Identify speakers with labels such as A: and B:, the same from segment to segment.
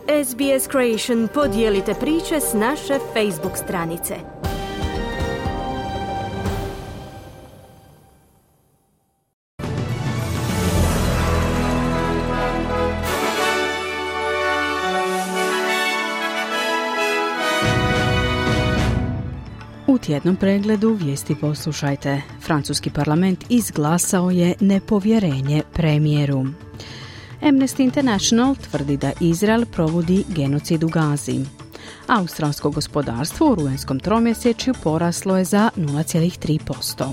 A: SBS Creation, podijelite priče s naše Facebook stranice.
B: U tjednom pregledu vijesti poslušajte. Francuski parlament izglasao je nepovjerenje premijeru. Amnesty International tvrdi da Izrael provodi genocid u Gazi. Australsko gospodarstvo u rujenskom tromjesečju poraslo je za 0,3%.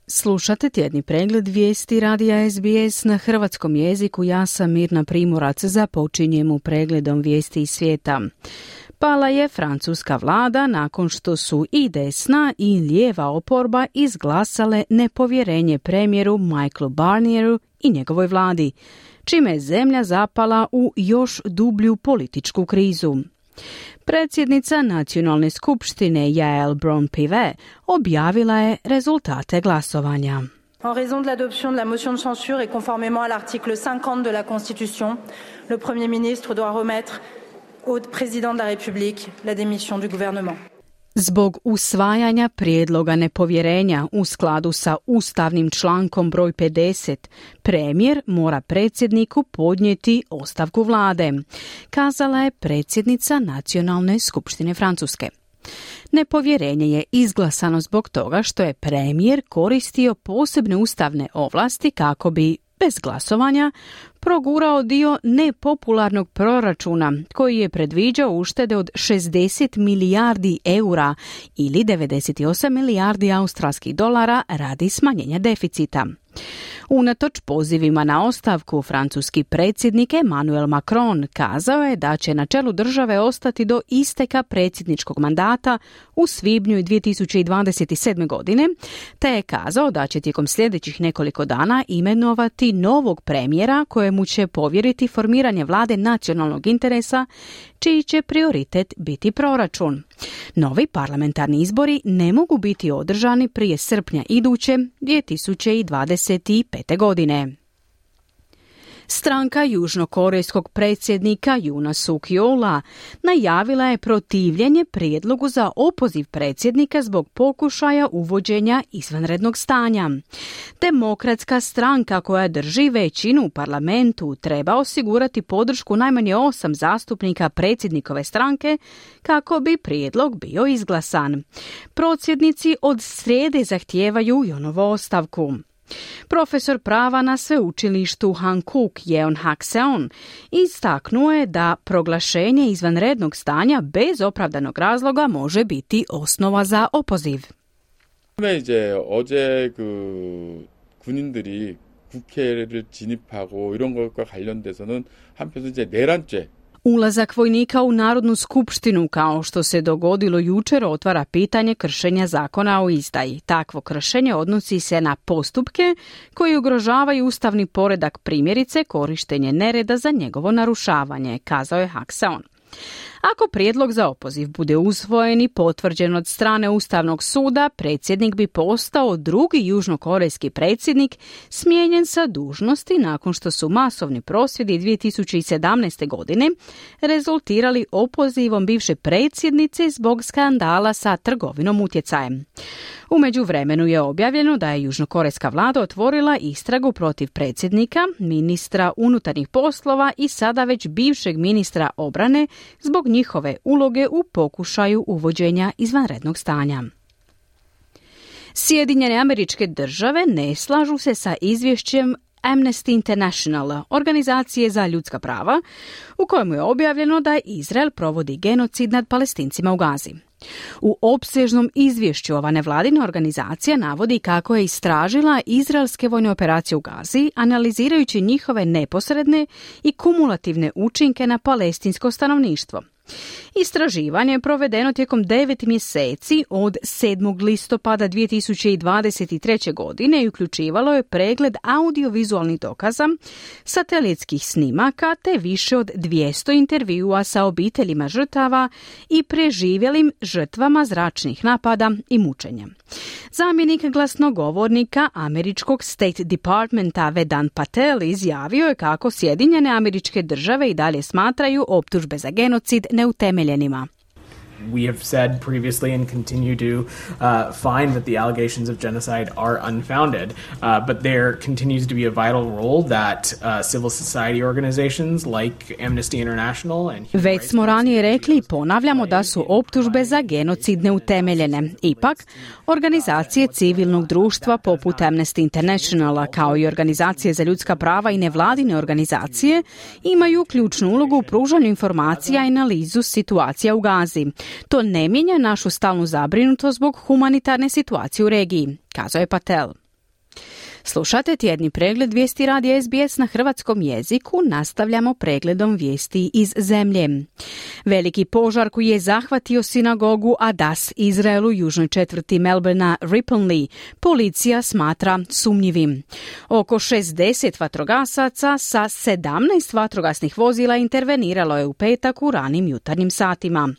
B: Slušate tjedni pregled vijesti radija SBS na hrvatskom jeziku. Ja sam Mirna Primorac, započinjemo pregledom vijesti iz svijeta. Pala je francuska vlada nakon što su i desna i lijeva oporba izglasale nepovjerenje premijeru Michaelu Barnieru i njegovoj vladi, čime je zemlja zapala u još dublju političku krizu. Predsjednica nacionalne skupštine Yael Braun-Pivet objavila je rezultate glasovanja.
C: En raison de l'adoption de la motion de censure et conformément à l'article 50 de la Constitution, le Premier ministre doit remettre au président de la République la démission du gouvernement.
B: Zbog usvajanja prijedloga nepovjerenja u skladu sa ustavnim člankom broj 50, premijer mora predsjedniku podnijeti ostavku vlade, kazala je predsjednica Nacionalne skupštine Francuske. Nepovjerenje je izglasano zbog toga što je premijer koristio posebne ustavne ovlasti kako bi, bez glasovanja, progurao dio nepopularnog proračuna koji je predviđao uštede od 60 milijardi eura ili 98 milijardi australskih dolara radi smanjenja deficita. Unatoč pozivima na ostavku, francuski predsjednik Emmanuel Macron kazao je da će na čelu države ostati do isteka predsjedničkog mandata u svibnju 2027. godine, te je kazao da će tijekom sljedećih nekoliko dana imenovati novog premijera kojemu će povjeriti formiranje vlade nacionalnog interesa, čiji će prioritet biti proračun. Novi parlamentarni izbori ne mogu biti održani prije srpnja iduće 2025. godine. Stranka južnokorejskog predsjednika Yoona Suk-yeola najavila je protivljenje prijedlogu za opoziv predsjednika zbog pokušaja uvođenja izvanrednog stanja. Demokratska stranka koja drži većinu u parlamentu treba osigurati podršku najmanje 8 zastupnika predsjednikove stranke kako bi prijedlog bio izglasan. Prosvjednici od srijede zahtijevaju Yonovu ostavku. Profesor prava na sveučilištu Hankook Yeon Hak-seon istaknuo je da proglašenje izvanrednog stanja bez opravdanog razloga može biti osnova za opoziv.
D: 이제 어제 군인들이 국회를 진입하고 이런 것과 관련돼서는 한편에서 이제 내란죄
B: Ulazak vojnika u Narodnu skupštinu, kao što se dogodilo jučer, otvara pitanje kršenja zakona o izdaji. Takvo kršenje odnosi se na postupke koji ugrožavaju ustavni poredak, primjerice korištenje nereda za njegovo narušavanje, kazao je Hak-seon. Ako prijedlog za opoziv bude usvojen i potvrđen od strane Ustavnog suda, predsjednik bi postao drugi južnokorejski predsjednik smijenjen sa dužnosti nakon što su masovni prosvjedi 2017. godine rezultirali opozivom bivše predsjednice zbog skandala sa trgovinom utjecajem. U međuvremenu je objavljeno da je južnokorejska vlada otvorila istragu protiv predsjednika, ministra unutarnjih poslova i sada već bivšeg ministra obrane zbog njihove uloge u pokušaju uvođenja izvanrednog stanja. Sjedinjene Američke Države ne slažu se sa izvješćem Amnesty International, organizacije za ljudska prava, u kojemu je objavljeno da Izrael provodi genocid nad Palestincima u Gazi. U opsežnom izvješću ova nevladina organizacija navodi kako je istražila izraelske vojne operacije u Gazi, analizirajući njihove neposredne i kumulativne učinke na palestinsko stanovništvo. Istraživanje je provedeno tijekom 9 mjeseci od 7. listopada 2023. godine i uključivalo je pregled audiovizualnih dokaza, satelitskih snimaka te više od 200 intervjua sa obiteljima žrtava i preživjelim žrtvama zračnih napada i mučenja. Zamjenik glasnogovornika američkog State Departmenta Vedant Patel izjavio je kako Sjedinjene Američke Države i dalje smatraju optužbe za genocid neutemeljenima.
E: We have said previously and continue to find that the allegations of genocide are unfounded, but there continues to be a vital role that civil society organizations like Amnesty International and
B: Već smo ranije rekli i ponavljamo da su optužbe za genocid neutemeljene. Ipak, organizacije civilnog društva poput Amnesty Internationala kao i organizacije za ljudska prava i nevladine organizacije imaju ključnu ulogu u pružanju informacija i analizu situacija u Gazi. To ne mijenja našu stalnu zabrinutost zbog humanitarne situacije u regiji, kazao je Patel. Slušate tjedni pregled vijesti radija SBS na hrvatskom jeziku, nastavljamo pregledom vijesti iz zemlje. Veliki požar koji je zahvatio sinagogu Adas Izrael u južnoj četvrti Melbournea Ripponlea policija smatra sumnjivim. Oko 60 vatrogasaca sa 17 vatrogasnih vozila interveniralo je u petak u ranim jutarnjim satima.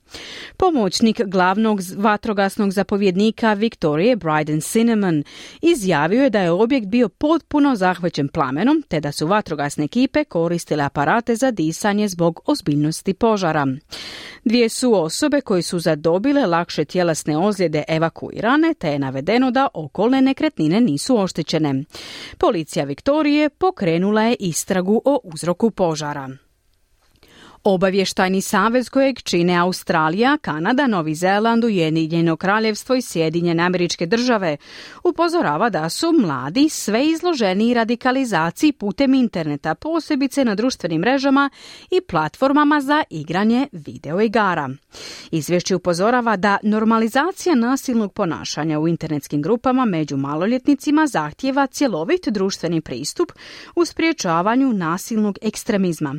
B: Pomoćnik glavnog vatrogasnog zapovjednika Victoria Bryden Cinnamon izjavio je da je objekt bio potpuno zahvaćen plamenom, te da su vatrogasne ekipe koristile aparate za disanje zbog ozbiljnosti požara. 2 su osobe koje su zadobile lakše tjelesne ozljede evakuirane, te je navedeno da okolne nekretnine nisu oštećene. Policija Viktorije pokrenula je istragu o uzroku požara. Obavještajni savez kojeg čine Australija, Kanada, Novi Zeland, Ujedinjeno Kraljevstvo i Sjedinjene Američke Države upozorava da su mladi sve izloženiji radikalizaciji putem interneta, posebice na društvenim mrežama i platformama za igranje videoigara. Izvješće upozorava da normalizacija nasilnog ponašanja u internetskim grupama među maloljetnicima zahtijeva cjelovit društveni pristup u sprječavanju nasilnog ekstremizma.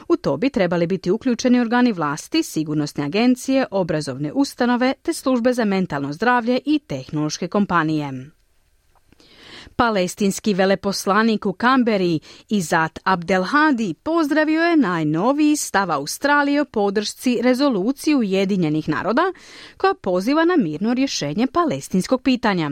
B: U to bi trebali biti uključeni organi vlasti, sigurnosne agencije, obrazovne ustanove te službe za mentalno zdravlje i tehnološke kompanije. Palestinski veleposlanik u Kamberi Izat Abdelhadi pozdravio je najnoviji stav Australije o podršci rezoluciji Ujedinjenih naroda koja poziva na mirno rješenje palestinskog pitanja.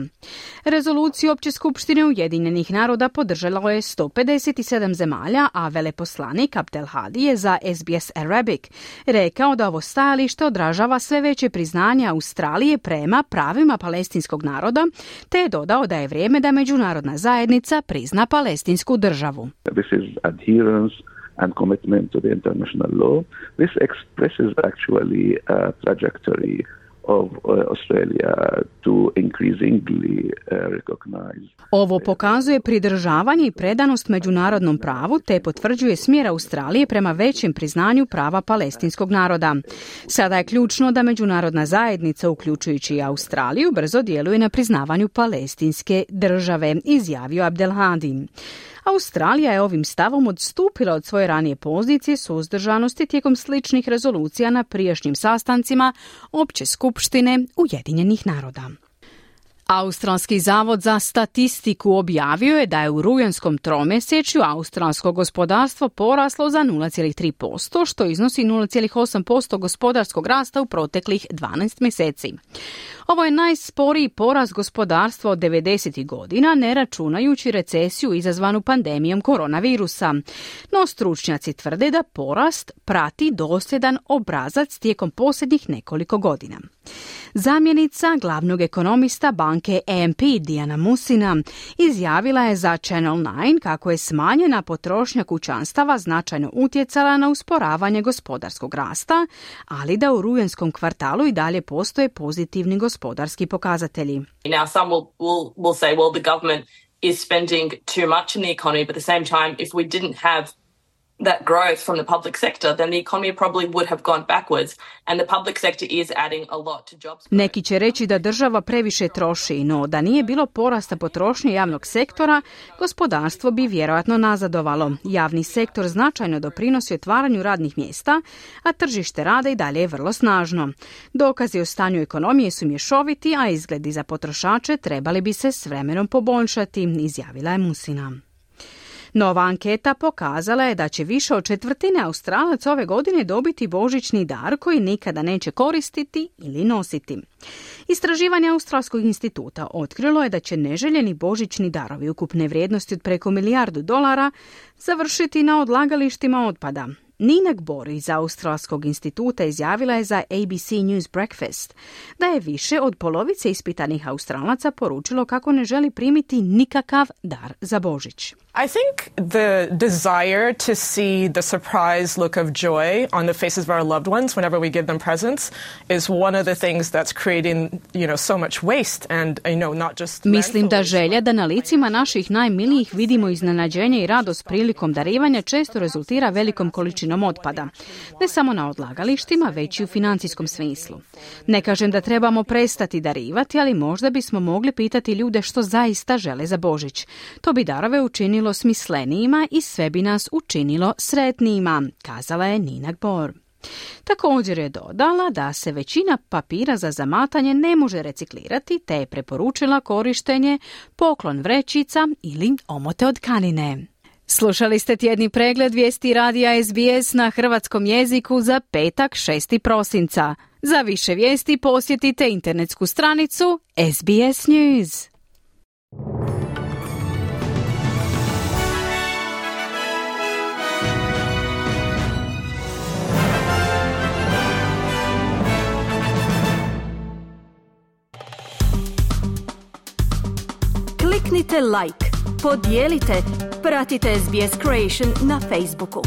B: Rezoluciju Opće skupštine Ujedinjenih naroda podržalo je 157 zemalja, a veleposlanik Abdelhadi je za SBS Arabic rekao da ovo stajalište odražava sve veće priznanje Australije prema pravima palestinskog naroda, te je dodao da je vrijeme da međunarodna zajednica prizna palestinsku državu.
F: This is adherence and commitment to the international law. This expresses actually a trajectory of Australia to increasingly recognize.
B: Ovo pokazuje pridržavanje i predanost međunarodnom pravu te potvrđuje smjer Australije prema većem priznanju prava palestinskog naroda. Sada je ključno da međunarodna zajednica, uključujući i Australiju, brzo djeluje na priznavanju palestinske države, izjavio Abdelhadi. Australija je ovim stavom odstupila od svoje ranije pozicije suzdržanosti tijekom sličnih rezolucija na prijašnjim sastancima Opće skupštine Ujedinjenih naroda. Australski zavod za statistiku objavio je da je u rujanskom tromjesečju australsko gospodarstvo poraslo za 0,3%, što iznosi 0,8% gospodarskog rasta u proteklih 12 mjeseci. Ovo je najsporiji porast gospodarstva od 90. godina, ne računajući recesiju izazvanu pandemijom koronavirusa. No stručnjaci tvrde da porast prati dosljedan obrazac tijekom posljednjih nekoliko godina. Zamjenica glavnog ekonomista banke AMP Diana Musina izjavila je za Channel 9 kako je smanjena potrošnja kućanstava značajno utjecala na usporavanje gospodarskog rasta, ali da u rujanskom kvartalu i dalje postoje pozitivni gospodarski pokazatelji.
G: Now some will say, well, the government is spending too much in the economy, but at the same time, if we didn't have that growth from the public sector, then the economy probably would have gone backwards, and the public sector is adding a lot to jobs.
B: Neki će reći da država previše troši, no da nije bilo porasta potrošnje javnog sektora, gospodarstvo bi vjerojatno nazadovalo. Javni sektor značajno doprinosi otvaranju radnih mjesta, a tržište rada i dalje je vrlo snažno. Dokazi o stanju ekonomije su mješoviti, a izgledi za potrošače trebali bi se s vremenom poboljšati, izjavila je Musina. Nova anketa pokazala je da će više od četvrtine Australaca ove godine dobiti božićni dar koji nikada neće koristiti ili nositi. Istraživanje Australskog instituta otkrilo je da će neželjeni božićni darovi ukupne vrijednosti od preko $1 milijardu završiti na odlagalištima otpada. Nina Gbor iz Australskog instituta izjavila je za ABC News Breakfast da je više od polovice ispitanih Australaca poručilo kako ne želi primiti nikakav dar za Božić.
H: I think the desire to see the surprise look of joy on the faces of our loved ones whenever we give them presents is one of the things that's creating, so much waste and, not just...
B: Mislim da želja da na licima naših najmilijih vidimo iznenađenje i radost prilikom darivanja često rezultira velikom količinom otpada. Ne samo na odlagalištima, već i u financijskom smislu. Ne kažem da trebamo prestati darivati, ali možda bismo mogli pitati ljude što zaista žele za Božić. To bi darove učinilo smislenijima i sve bi nas učinilo sretnijima, kazala je Nina Gbor. Također je dodala da se većina papira za zamatanje ne može reciklirati, te je preporučila korištenje poklon vrećica ili omote od tkanine. Slušali ste tjedni pregled vijesti radija SBS na hrvatskom jeziku za petak 6. prosinca. Za više vijesti posjetite internetsku stranicu SBS News.
A: Kliknite like, podijelite, pratite SBS Creation na Facebooku.